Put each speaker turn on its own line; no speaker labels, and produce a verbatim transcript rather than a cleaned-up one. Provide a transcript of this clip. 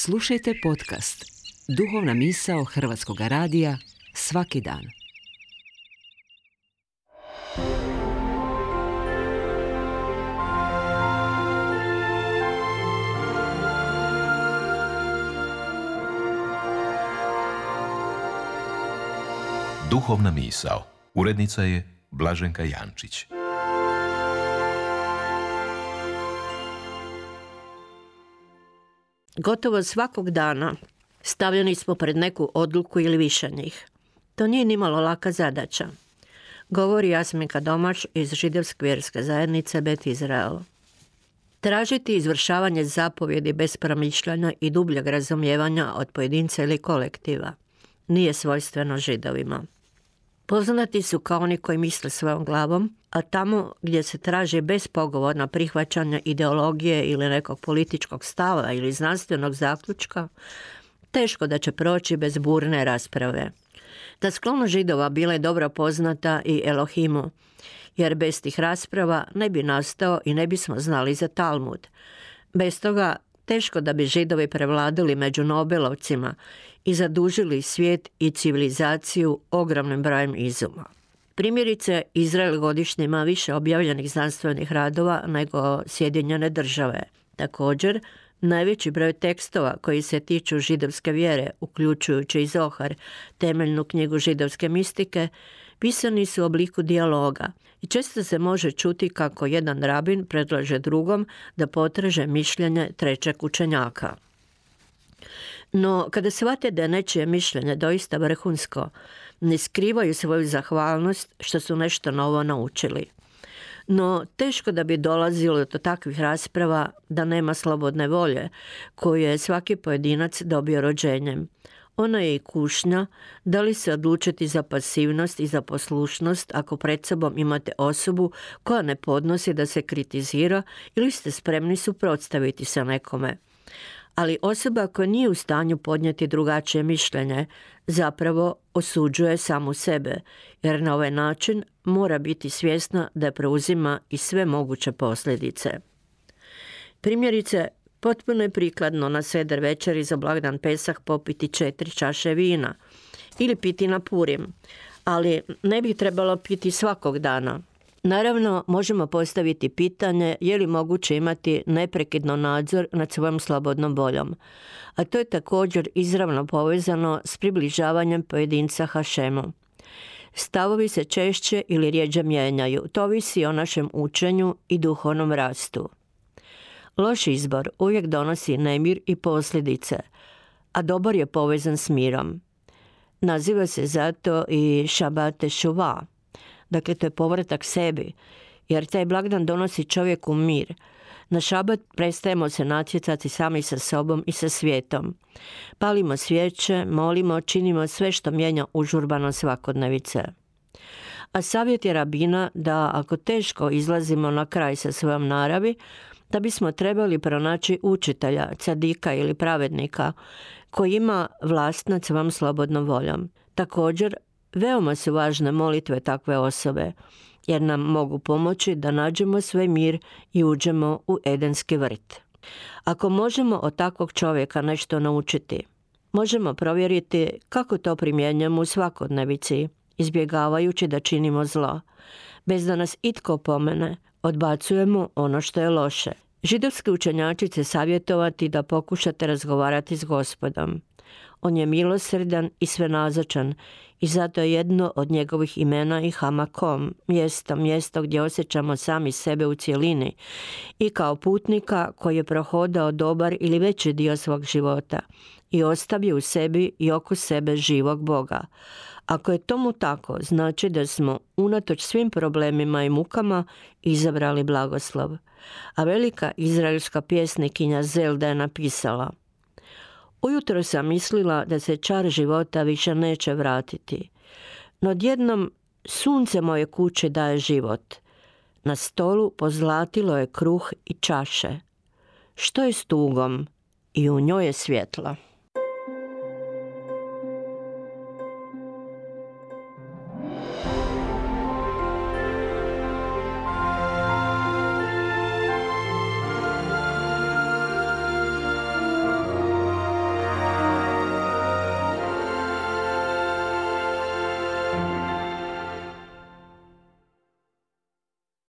Slušajte podcast Duhovna misao Hrvatskog radija svaki dan.
Duhovna misao. Urednica je Blaženka Jančić.
Gotovo svakog dana stavljeni smo pred neku odluku ili više njih. To nije nimalo laka zadaća, govori Jasminka Domaš iz židovske vjerske zajednice Bet Izrael. Tražiti izvršavanje zapovjedi bez promišljanja i dubljeg razumijevanja od pojedinca ili kolektiva nije svojstveno Židovima. Poznati su kao oni koji misle svojom glavom, a tamo gdje se traži bespogovorno prihvaćanje ideologije ili nekog političkog stava ili znanstvenog zaključka, teško da će proći bez burne rasprave. Ta sklonost Židova bila je dobro poznata i Elohimu, jer bez tih rasprava ne bi nastao i ne bismo znali za Talmud. Bez toga teško da bi Židovi prevladali među Nobelovcima i zadužili svijet i civilizaciju ogromnim brojem izuma. Primjerice, Izrael godišnje ima više objavljenih znanstvenih radova nego Sjedinjene države. Također, najveći broj tekstova koji se tiču židovske vjere, uključujući i Zohar, temeljnu knjigu židovske mistike, pisani su u obliku dijaloga i često se može čuti kako jedan rabin predlaže drugom da potraže mišljenje trećeg učenjaka. No, kada shvate da je nečije mišljenje doista vrhunsko, ne skrivaju svoju zahvalnost što su nešto novo naučili. No, teško da bi dolazilo do takvih rasprava da nema slobodne volje koju je svaki pojedinac dobio rođenjem. Ona je i kušnja da li se odlučiti za pasivnost i za poslušnost ako pred sobom imate osobu koja ne podnosi da se kritizira ili ste spremni suprotstaviti se nekome. Ali osoba koja nije u stanju podnijeti drugačije mišljenje zapravo osuđuje samu sebe, jer na ovaj način mora biti svjesna da preuzima i sve moguće posljedice. Primjerice, potpuno je prikladno na seder večeri za blagdan Pesah popiti četiri čaše vina ili piti na Purim, ali ne bi trebalo piti svakog dana. Naravno, možemo postaviti pitanje je li moguće imati neprekidno nadzor nad svojom slobodnom voljom, a to je također izravno povezano s približavanjem pojedinca Hašemu. Stavovi se češće ili rjeđe mijenjaju, to ovisi o našem učenju i duhovnom rastu. Loš izbor uvijek donosi nemir i posljedice, a dobar je povezan s mirom. Naziva se zato i Šabat tešuva. Dakle, to je povratak sebi, jer taj blagdan donosi čovjeku mir. Na šabat prestajemo se natjecati sami sa sobom i sa svijetom. Palimo svijeće, molimo, činimo sve što mijenja užurbano svakodnevice. A savjet je rabina da ako teško izlazimo na kraj sa svojom naravi, da bismo trebali pronaći učitelja, cadika ili pravednika koji ima vlast nad svojom slobodnom voljom. Također, veoma su važne molitve takve osobe, jer nam mogu pomoći da nađemo svoj mir i uđemo u Edenski vrt. Ako možemo od takvog čovjeka nešto naučiti, možemo provjeriti kako to primjenjujemo u svakodnevici, izbjegavajući da činimo zlo. Bez da nas itko pomene, odbacujemo ono što je loše. Židovski učenjaci će savjetovati da pokušate razgovarati s Gospodom. On je milosrdan i svenazočan i zato je jedno od njegovih imena i Hamakom, mjesto, mjesto gdje osjećamo sami sebe u cjelini i kao putnika koji je prohodao dobar ili veći dio svog života i ostavio u sebi i oko sebe živog Boga. Ako je tomu tako, znači da smo unatoč svim problemima i mukama izabrali blagoslov. A velika izraelska pjesnikinja Zelda je napisala: Ujutro sam mislila da se čar života više neće vratiti, no odjednom sunce moje kuće daje život. Na stolu pozlatilo je kruh i čaše. Što je s tugom? I u njoj je svjetlo.